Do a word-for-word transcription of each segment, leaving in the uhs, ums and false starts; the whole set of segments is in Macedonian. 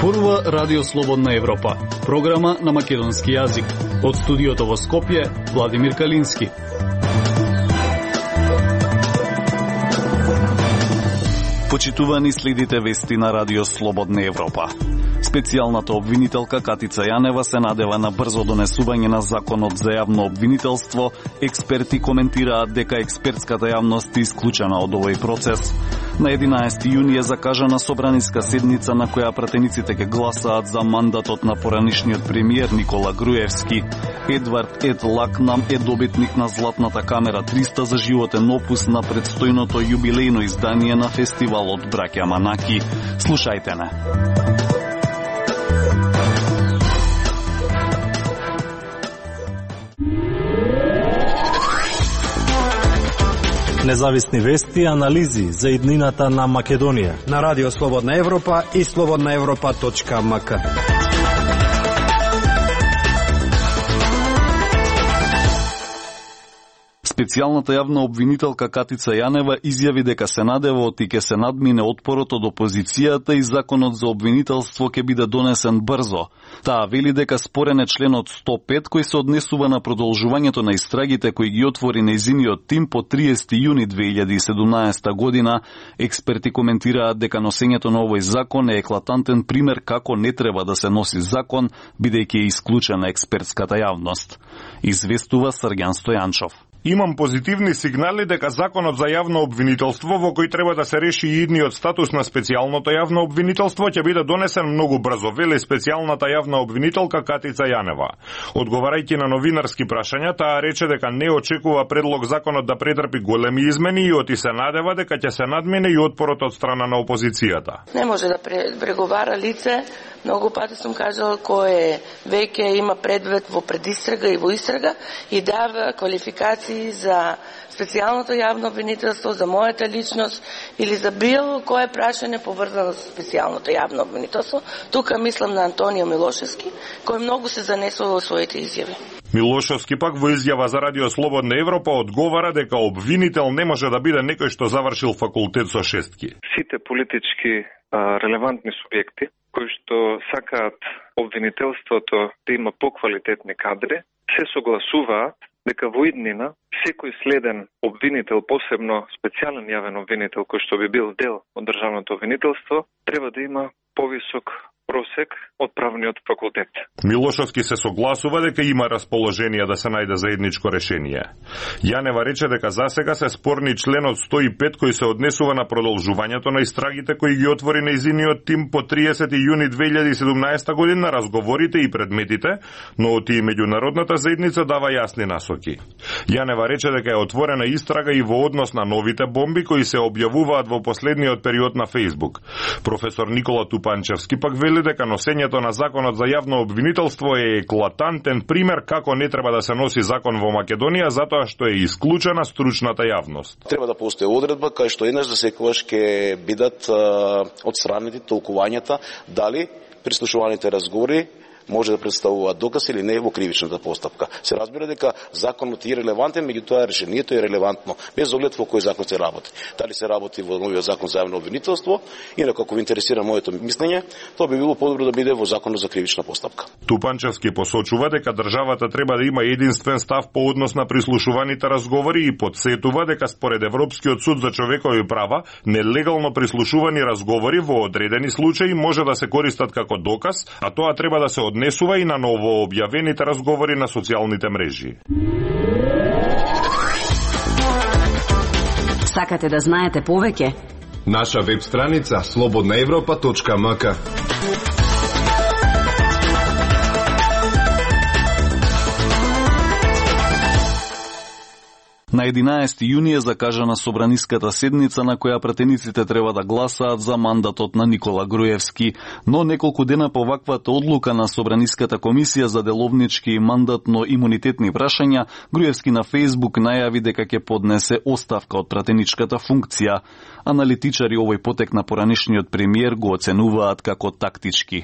Зборува Радио Слободна Европа, програма на македонски јазик. Од студиото во Скопје, Владимир Калински. Почитувани, следите вести на Радио Слободна Европа. Специјалната обвинителка Катица Јанева се надева на брзо донесување на законот за јавно обвинителство. Експерти коментираат дека експертската јавност е исклучена од овој процес. На единаесети јуни е закажана собраниска седница на која пратениците ќе гласаат за мандатот на поранишниот премиер Никола Груевски. Едвард Ед Лакнам е добитник на Златната камера триста за животен опус на предстојното јубилејно издание на фестивалот Браќа Манаки. Слушајте не. Независни вести и анализи за иднината на Македонија на Радио Слободна Европа и слободна европа точка ем ка. Специјалната јавна обвинителка Катица Јанева изјави дека се надева оти ќе се надмине отпорот од опозицијата и законот за обвинителство ќе биде донесен брзо. Таа вели дека спорен е членот сто пет кој се однесува на продолжувањето на истрагите кои ги отвори нејзиниот тим по триесети јуни две илјади и седумнаесета година. Експерти коментираат дека носењето на овој закон е еклатантен пример како не треба да се носи закон, бидејќи е исклучена експертската јавност. Известува Срѓан Стојанчов. Имам позитивни сигнали дека законот за јавно обвинителство, во кој треба да се реши и идниот статус на специјалното јавно обвинителство, ќе биде донесен многу брзо, вели специјалната јавна обвинителка Катица Јанева. Одговарајќи на новинарски прашања, таа рече дека не очекува предлог законот да претрпи големи измени и оти се надева дека ќе се надмине и отпорот од страна на опозицијата. Не може да преговара лице, многу пати сум кажала, кој веќе има предвид во предистрага и во истрага и дава квалификации за специјалното јавно обвинителство, за мојата личност или за било кое прашање поврзано со специјалното јавно обвинителство. Тука мислам на Антонио Милошевски, кој многу се занесува во своите изјави. Милошевски пак во изјава за Радио Слободна Европа одговара дека обвинител не може да биде некој што завршил факултет со шестки. Сите политички а, релевантни субјекти кои што сакаат обвинителството да има поквалитетни кадри, се согласуваат дека во иднина секој следен обвинител, посебно специјален јавен обвинител кој што би бил дел од државното обвинителство, треба да има повисок просек од правниот факултет. Милошевски се согласува дека има расположение да се најде заедничко решение. Јанева рече дека засега се спорни членот сто и пет кој се однесува на продолжувањето на истрагите кои ги отвори нејзиниот тим по триесети јуни две илјади и седумнаесета година, разговорите и предметите, но оти и меѓународната заедница дава јасни насоки. Јанева рече дека е отворена истрага и во однос на новите бомби кои се објавуваат во последниот период на Фејсбук. Професор Никола Тупанчевски пак вели дека носењето на законот за јавно обвинителство е еклатантен пример како не треба да се носи закон во Македонија затоа што е исклучена стручната јавност. Треба да постои одредба кај што еднаш за секогаш ќе бидат одстранети толкувањата дали прислушуваните разговори може да представуваат доказ или не во кривичната постапка. Се разбира дека законот е релевантен, меѓутоа решението е релевантно, без оглед во кој закон се работи. Дали се работи во новиот закон за јавно обвинителство, инаку ако ви интересира моето мислење, тоа би било подобро да биде во законот за кривична постапка. Тупанчевски посочува дека државата треба да има единствен став по однос на прислушуваните разговори и подсетува дека според Европскиот суд за човекови права, нелегално прислушувани разговори во одредени случаи може да се користат како доказ, а тоа треба да се однесува и на ново објавените разговори на социјалните мрежи. Сакате да знаете повеќе? Наша веб страница слободна европа точка ем ка. На единаесети јуни е закажана собраниската седница на која пратениците треба да гласаат за мандатот на Никола Груевски, но неколку дена по ваквата одлука на Собраниската комисија за деловнички и мандатно-имунитетни прашања, Груевски на Фејсбук најави дека ќе поднесе оставка од пратеничката функција. Аналитичари овој потек на поранишниот премиер го оценуваат како тактички.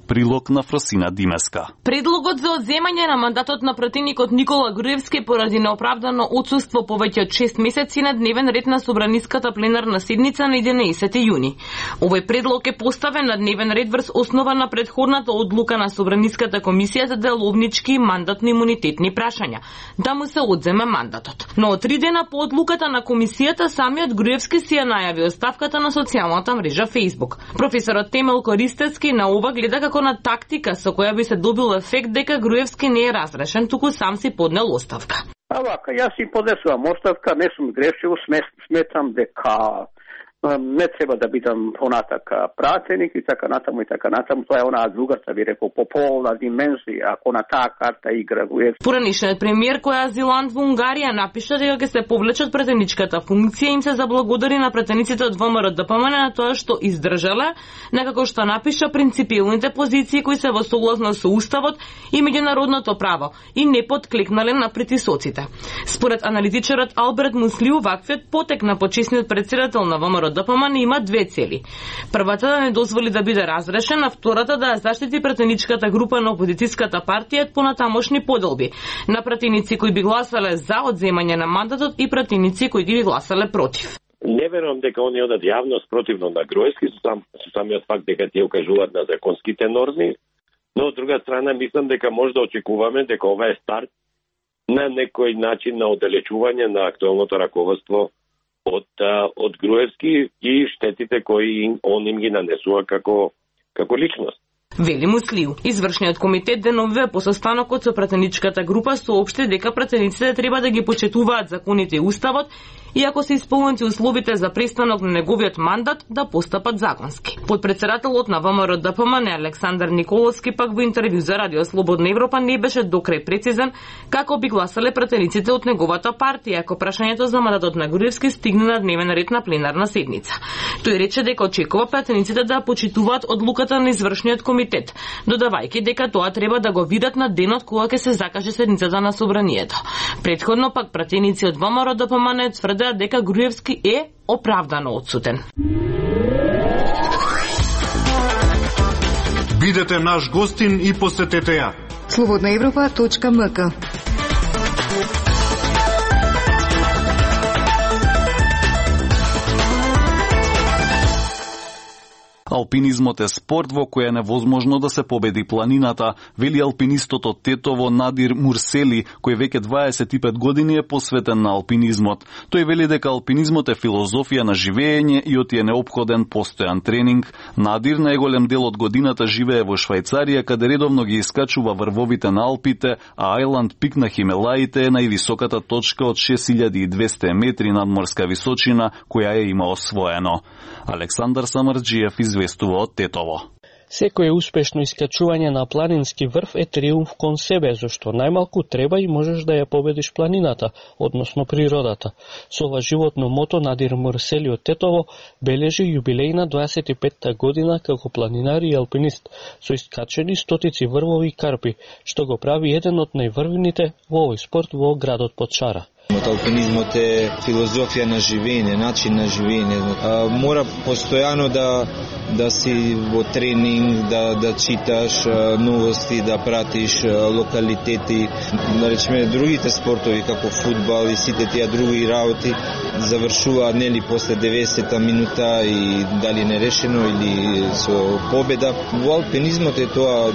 Прилог на Фросина Димеска. Предлогот за одземање на мандатот на пратеникот Никола Груевски поради неоправдано отсуство повеќе од шест месеци на дневен ред на Собраниската пленарна седница на единаесети јуни. Овој предлог е поставен на дневен ред врз основа на предходната одлука на Собраниската комисија за деловнички и мандатно-имунитетни прашања, да му се одземе мандатот. Но од три дена по одлуката на комисијата, самиот Груевски си ја најави оставката на социјалната мрежа Facebook. Професорот Темел Користецки на ова гледа како на тактика со која би се добил ефект дека Груевски не е разрешен, туку сам си поднел оставка. А вака, јас си поднесувам оставка, не сум грешил, сметам дека не треба да бидам понатака пратеник и така натаму и така натаму. Тоа е онаа другата, би рекол, пополна димензија, ако на таа карта игра Груевски. Поранишниот премиер кој е азилант во Унгарија напиша дека ќе се повлечат пратеничката функција, им се заблагодари на пратениците од ВМРО-ДПМН на тоа што издржале, некако што напиша принципилните позиции кои се во согласно со уставот и меѓународното право и не подклекнале на притисоците. Според аналитичарот Алберт Мусли, ваквиот потек на почесниот председател на ВМРО ДПМН има две цели. Првата да не дозволи да биде разрешен, а втората да ја заштити пратеничката група на опозицијската партија од понатамошни поделби на пратеници кои би гласале за одземање на мандатот и пратеници кои би гласале против. Не верувам дека они одат јавност противно на Груевски, со, сам, со самиот факт дека тие укажуваат на законските норми, но од друга страна мислам дека може да очекуваме дека ова е старт на некој начин на оддалечување на актуелното раководство од од Груевски и штетите кои он им ги нанесува како како личност. Вели Муслиу. Извршниот комитет деновиве по состанокот со пратеничката група соопшти дека пратениците треба да ги почитуваат законите и уставот и ако се исполнети условите за престанок на неговиот мандат да постапат законски. Подпредседателот на ВМРО-ДПМН Александар Николовски пак во интервју за Радио Слободна Европа не беше докрај прецизен како би гласале пратениците од неговата партија ако прашањето за мандатот на Груевски стигне на дневен ред на пленарна седница. Тој рече дека очекува пратениците да почитуваат одлуката на извршниот комитет, додавајќи дека тоа треба да го видат на денот кога ќе се закаже седницата на собранието. Претходно пак пратеници од ВМРО-ДПМН тврдеа дека Груевски е оправдано отсутен. Бидете наш гостин и посетете ја. слободна европа точка ем ка. Алпинизмот е спорт во кој е невозможно да се победи планината, вели алпинистот од Тетово Надир Мурсели, кој веќе дваесет и пет години е посветен на алпинизмот. Тој вели дека алпинизмот е филозофија на живеење и оти е неопходен постојан тренинг. Надир најголем дел од годината живее во Швајцарија, каде редовно ги искачува врвовите на Алпите, а Ајланд пик на Химелаите е највисоката точка од шест илјади и двесте метри надморска височина, која е има освоено. Александар Самарџиев известува од Тетово. Секое успешно искачување на планински врв е триумф кон себе, зашто најмалку треба и можеш да ја победиш планината, односно природата. Со ова животно мото Надир Мурсели од Тетово бележи јубилејна дваесет и петта година како планинар и алпинист, со искачени стотици врвови и карпи, што го прави еден од најврвените во овој спорт во градот Подшара. Алпинизмот е филозофија на живење, начин на живење. А, мора постојано да да си во тренинг, да да читаш а, новости, да пратиш а, локалитети, да речеме другите спортови како фудбал и сите тие други работи завршуваат нели после деветдесета минута и дали нерешено или со победа. Во алпинизмот е тоа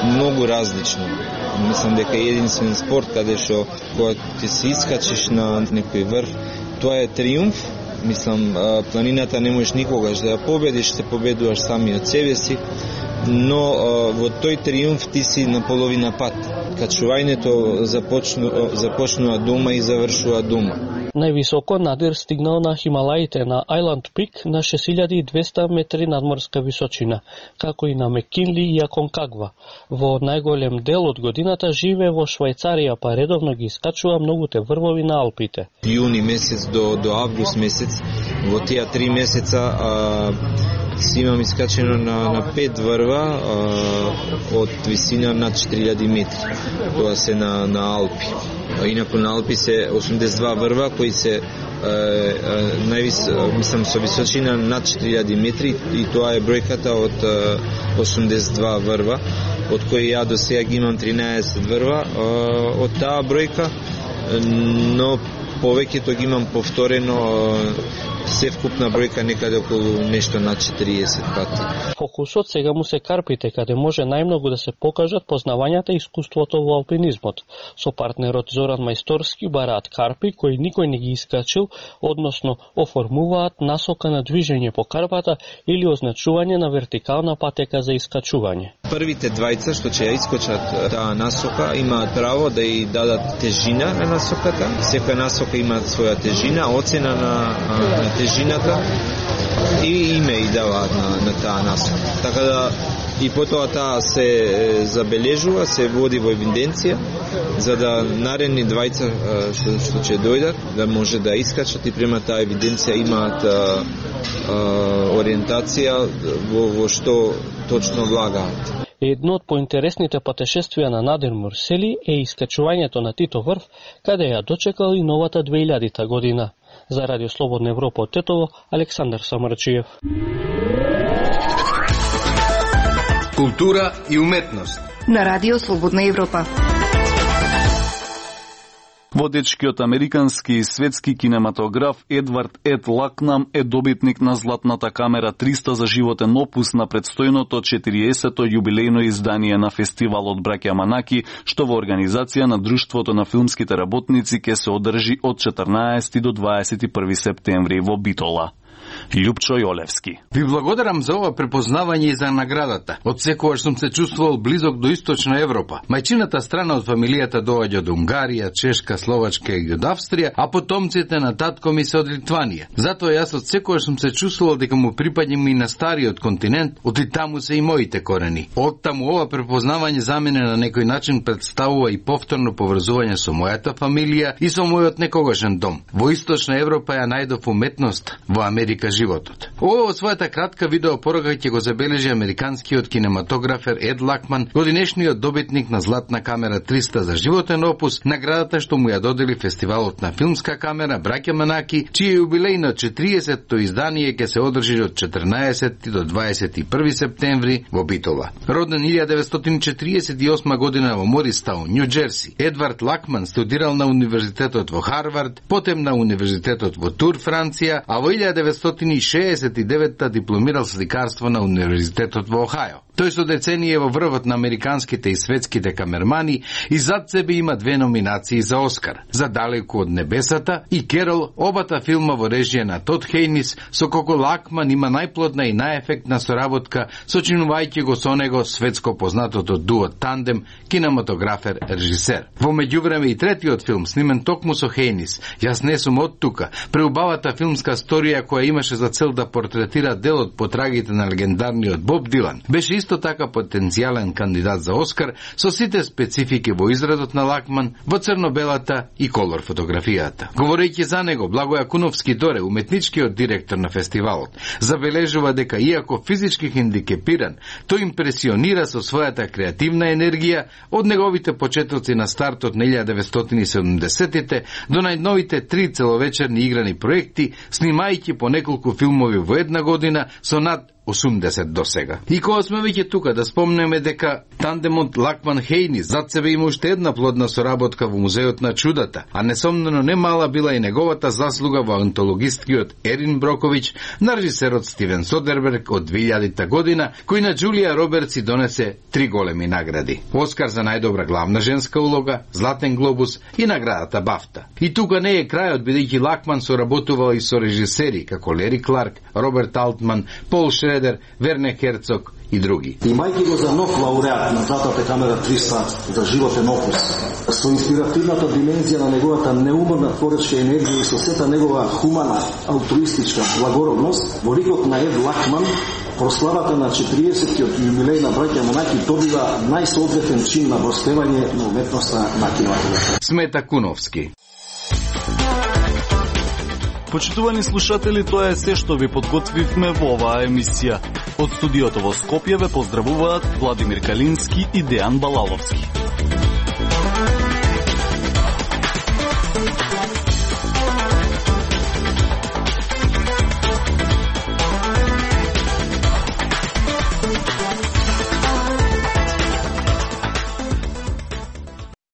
многу различно. Мислам дека е единствен спорт каде што кога ти се искачиш на некој врв, тоа е триумф. Мислам, планината не можеш никогаш да ја победиш, се победуваш сами од себе си, но во тој триумф ти си на половина пат. Качувањето започну, започнува дома и завршува дома. Највисоко Надир стигнал на Хималаите на Ајланд пик на шест илјади и двесте метри надморска височина, како и на Мекинли и Аконкагва. Во најголем дел од годината живее во Швајцарија, па редовно ги искачува многуте врвови на Алпите. Јуни месец до, до август месец, во тие три месеца а, си имам искачено на, на пет врва а, од висина над четири илјади метри. Тоа се на, на Алпи. Инаку на Алпи се осумдесет и два врва кои се највис, мислам, со височина над четири илјади метри, и тоа е бројката од осумдесет и два врва, од кои ја до сега ги имам тринаесет врва од таа бројка, но повеќето ги имам повторено, се вкупна бројка некаде околу нешто над четириесет пати. Фокусот сега му се карпите, каде може најмногу да се покажат познавањата и искуството во алпинизмот. Со партнерот Зоран Мајсторски бараат карпи кои никој не ги искачил, односно оформуваат насока на движење по карпата или означување на вертикална патека за искачување. Првите двајца што ќе ја искочат таа насока имаат право да ја дадат тежина на насоката. Секоја насока има своја тежина, оцена на, на тежината и име и даваат на, на таа насока. Така да и потоа таа се забележува, се води во евиденција, за да наредни двајца што, што ќе дојдат да може да искачат и према таа евиденција имаат а, а, ориентација во, во што точно влагаат. Едно од поинтересните патешествија на Надир Мурсели е искачувањето на Тито врв, каде ја дочекал и новата две илјадита година. За Радио Слободна Европа од Тетово, Александар Самарчиев. Култура и уметност на Радио Слободна Европа. Водечкиот американски и светски кинематограф Едвард Ед Лакнам е добитник на Златната камера триста за животен опус на предстојното четириесетто јубилејно издание на фестивалот Браќа Манаки, што во организација на Друштвото на филмските работници ќе се одржи од четрнаесети до дваесет и први септември во Битола. Љупчо Јолевски. Ви благодарам за ова препознавање и за наградата. Од секогаш сум се чувствувал близок до Источна Европа. Мајчината страна од фамилијата доаѓа од Унгарија, Чешка, Словачка и од Австрија, а потомците на татко ми се од Литванија. Затоа јас од секогаш сум се чувствувал дека му припаѓам и на стариот континент, од и таму се и моите корени. Од таму ова препознавање за мене на некој начин представува и повторно поврзување со мојата фамилија и со мојот некогашен дом. Во Источна Европа ја најдов уметност, во Америка животот. Ова во својата кратка видеопорака ќе го забележи американскиот кинематографер Ед Лакман, годинешниот добитник на Златна камера триста за животен опус, наградата што му ја додели фестивалот на филмска камера Браќа Манаки, чие јубилејно четириесетто издание ќе се одржи од четрнаесети до дваесет и први септември во Битола. Роден илјада деветстотини четириесет и осма година во Мористаун, Њу Џерси, Едвард Лакман студирал на универзитетот во Харвард, потем на универзитетот во Тур, Франција, а во илјада деветстотини шеесет и девета дипломирал сликарство на универзитетот во Охајо. Тој со деценија во врвот на американските и светските камермани и зад себе има две номинации за Оскар, за Далеку од небесата и Керол, обата филма во режија на Тод Хејнис, со кој Лакман има најплодна и најефектна соработка, сочинувајќи го со него светско познатото дуо тандем кинематографер-режисер. Во меѓувреме и третиот филм, снимен токму со Хејнис, Јас не сум од тука, преубавата филмска сторија која имаше за цел да портретира делот по трагите на легендарниот Боб Дилан, беше исто така потенцијален кандидат за Оскар со сите специфики во израдот на Лакман, во црно-белата и колор фотографијата. Говорејќи за него, Благоја Куновски Доре, уметничкиот директор на фестивалот, забележува дека иако физички хендикепиран, тој импресионира со својата креативна енергија од неговите почетоци на стартот на илјада деветстотини и седумдесетите до најновите три целовечерни играни проекти, снимајќи по неколку филмови во една година со над осумдесет до сега. И кога сме веќе тука да спомнеме дека тандемот Лакман Хејнис зад себе има уште една плодна соработка во Музеот на чудата, а несомнено не мала била и неговата заслуга во антологисткиот Ерин Броковиќ на режисерот Стивен Содерберг од две илјадита година, кој на Џулија Робертс донесе три големи награди: Оскар за најдобра главна женска улога, Златен глобус и наградата Бафта. И тука не е крајот, бидејќи Лакман соработувал и со режисери како Лери Кларк, Роберт Алтман, Пол Шредер, Верне Херцог и други. Имајќи го за нов лауреат на Златната камера триста за животен опус, со инспиративната димензија на неговата неуморна творечка енергија и со сета негова хумана, алтруистичка благородност, во ликот на Ед Лакман, прославата на четириесеттиот јубилеј на Браќа Манаки добива најсоодветен чин на воспевање на уметноста на кинематографот. Смета Куновски. Почитувани слушатели, тоа е се што ви подготвивме во оваа емисија. Од студиото во Скопје ве поздравуваат Владимир Калински и Дејан Балаловски.